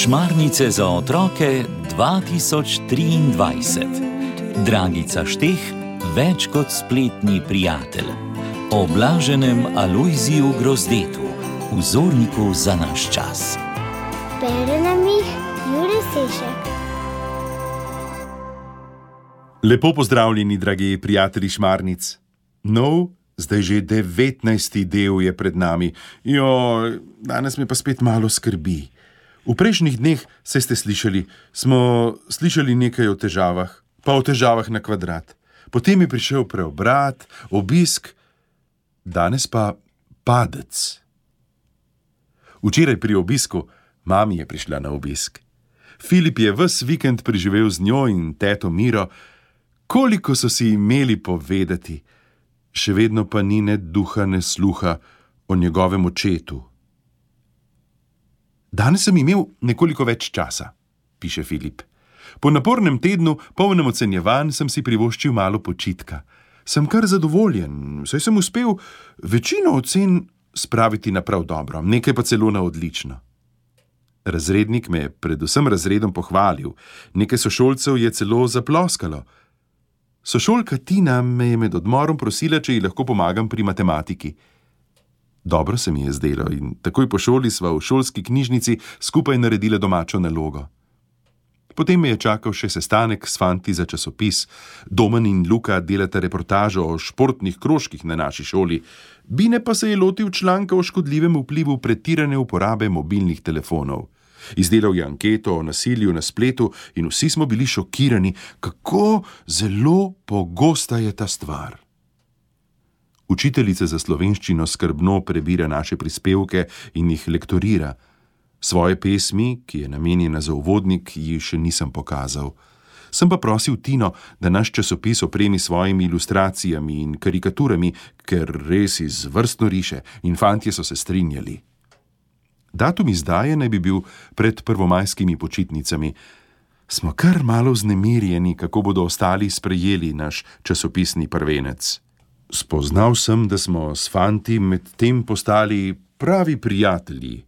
Šmarnice za otroke 2023. Dragica Šteh, več kot spletni prijatelj. O blaženem Alojziju Grozdetu, vzorniku za naš čas. Bere nam jih Jure Sešek. Lepo pozdravljeni, dragi prijatelji Šmarnic. Zdaj že 19. del je pred nami. Danes me pa spet malo skrbi. V prejšnjih dneh, saj ste slišali, smo slišali nekaj o težavah, pa o težavah na kvadrat. Potem je prišel preobrat, obisk, danes pa padec. Včeraj pri obisku mami je prišla na obisk. Filip je ves vikend preživel z njo in teto Miro. Koliko so si imeli povedati, še vedno pa ni ne duha, ne sluha o njegovem očetu. Danes sem imel nekoliko več časa, piše Filip. Po napornem tednu, polnem ocenjevanj, sem si privoščil malo počitka. Sem kar zadovoljen, saj sem uspel večino ocen spraviti na prav dobro, nekaj pa celo na odlično. Razrednik me je predvsem razredom pohvalil, nekaj sošolcev je celo zaploskalo. Sošolka Tina me je med odmorom prosila, če ji lahko pomagam pri matematiki. Dobro se mi je zdelo in takoj po šoli sva v šolski knjižnici skupaj naredila domačo nalogo. Potem me je čakal še sestanek s fanti za časopis. Domen in Luka delata reportažo o športnih krožkih na naši šoli. Bine pa se je lotil članka o škodljivem vplivu pretirane uporabe mobilnih telefonov. Izdelal je anketo o nasilju na spletu in vsi smo bili šokirani, kako zelo pogosta je ta stvar. Učiteljica za slovenščino skrbno prebira naše prispevke in jih lektorira. Svoje pesmi, ki je namenjena za uvodnik, ji še nisem pokazal. Sem pa prosil Tino, da naš časopis opremi svojimi ilustracijami in karikaturami, ker res izvrstno riše, in fantje so se strinjali. Datum izdaje naj bi bil pred prvomajskimi počitnicami. Smo kar malo vznemirjeni, kako bodo ostali sprejeli naš časopisni prvenec. Spoznal sem, da smo s fanti med tem postali pravi prijatelji.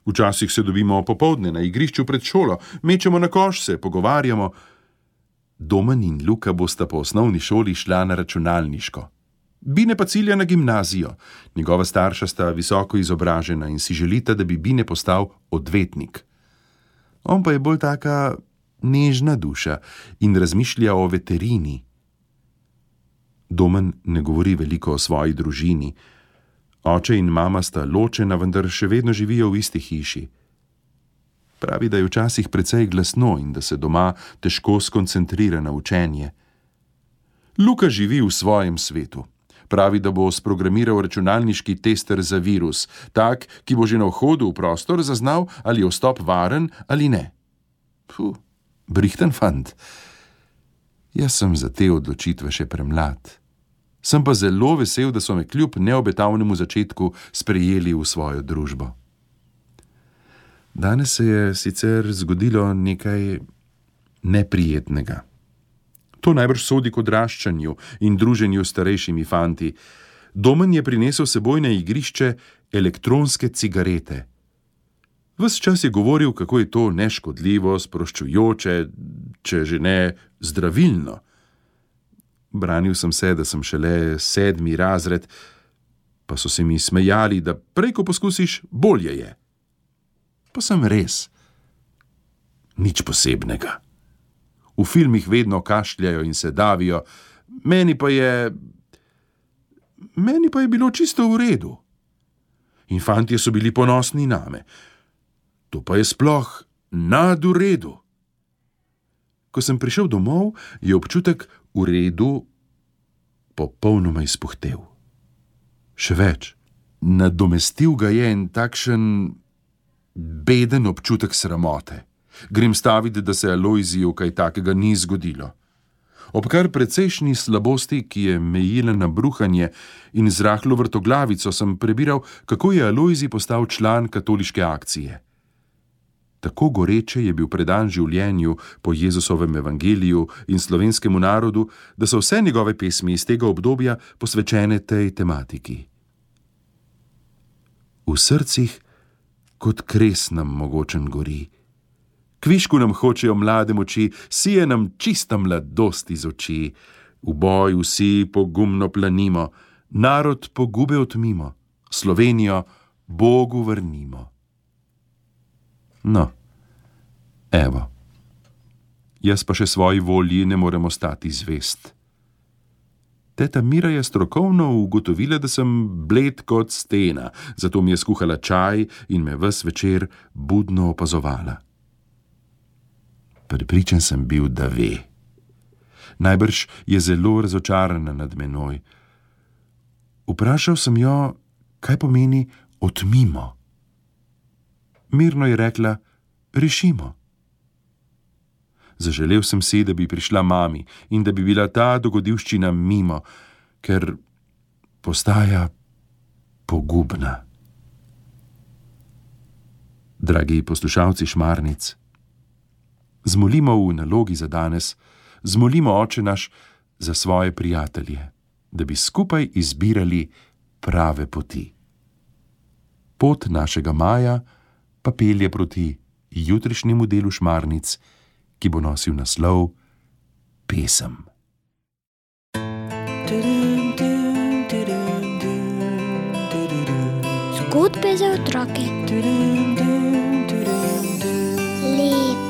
Včasih se dobimo popoldne na igrišču pred šolo, mečemo na koš, se pogovarjamo. Domen in Luka bosta po osnovni šoli šla na računalniško. Bine pa cilja na gimnazijo. Njegova starša sta visoko izobražena in si želita, da bi Bine postal odvetnik. On pa je bolj taka nežna duša in razmišlja o veterini. Domen ne govori veliko o svoji družini. Oče in mama sta ločena, vendar še vedno živijo v isti hiši. Pravi, da je včasih precej glasno in da se doma težko skoncentrira na učenje. Luka živi v svojem svetu. Pravi, da bo sprogramiral računalniški tester za virus, tak, ki bo že na vhodu v prostor zaznal, ali je vstop varen ali ne. Brihten fant. Jaz sem za te odločitve še premlad. Sem pa zelo vesel, da so me kljub neobetavnemu začetku sprejeli v svojo družbo. Danes se je sicer zgodilo nekaj neprijetnega. To najbrž sodi k odraščanju in druženju s starejšimi fanti. Domen je prinesel seboj na igrišče elektronske cigarete. Ves čas je govoril, kako je to neškodljivo, sproščujoče, če že ne zdravilno. Branil sem se, da sem šele 7. razred, pa so se mi smejali, da prej, ko poskusiš, bolje je. Pa sem res. Nič posebnega. V filmih vedno kašljajo in se davijo, meni pa je bilo čisto v redu. In fantje so bili ponosni name. To pa je sploh nad v redu. Ko sem prišel domov, je občutek v redu popolnoma izpuhtel. Še več, nadomestil ga je en takšen beden občutek sramote. Grem staviti, da se Alojziju kaj takega ni zgodilo. Ob kar precejšnji slabosti, ki je mejila na bruhanje in z rahlo vrtoglavico, sem prebiral, kako je Alojzij postal član katoliške akcije. Tako goreče je bil predan življenju po Jezusovem evangeliju in slovenskemu narodu, da so vse njegove pesmi iz tega obdobja posvečene tej tematiki. v srcih kot kres nam mogočen gori. Kvišku nam hočejo mlade moči, sije nam čista mladost iz oči. V boj vsi pogumno planimo, narod pogube odmimo, Slovenijo Bogu vrnimo. No, evo, jaz pa še svoji volji ne morem ostati zvest. Teta Mira je strokovno ugotovila, da sem bled kot stena, zato mi je skuhala čaj in me ves večer budno opazovala. Prepričan sem bil, da ve. Najbrž je zelo razočarana nad menoj. Vprašal sem jo, kaj pomeni odmimo. Mirno je rekla, rešimo. Zaželel sem si, da bi prišla mami in da bi bila ta dogodivščina mimo, ker postaja pogubna. Dragi poslušalci Šmarnic, zmolimo v nalogi za danes, zmolimo Oče naš za svoje prijatelje, da bi skupaj izbirali prave poti. Pot našega maja pa pelje proti jutrišnjemu delu Šmarnic, ki bo nosil naslov Pesem. Zgodbe za otroke. Lep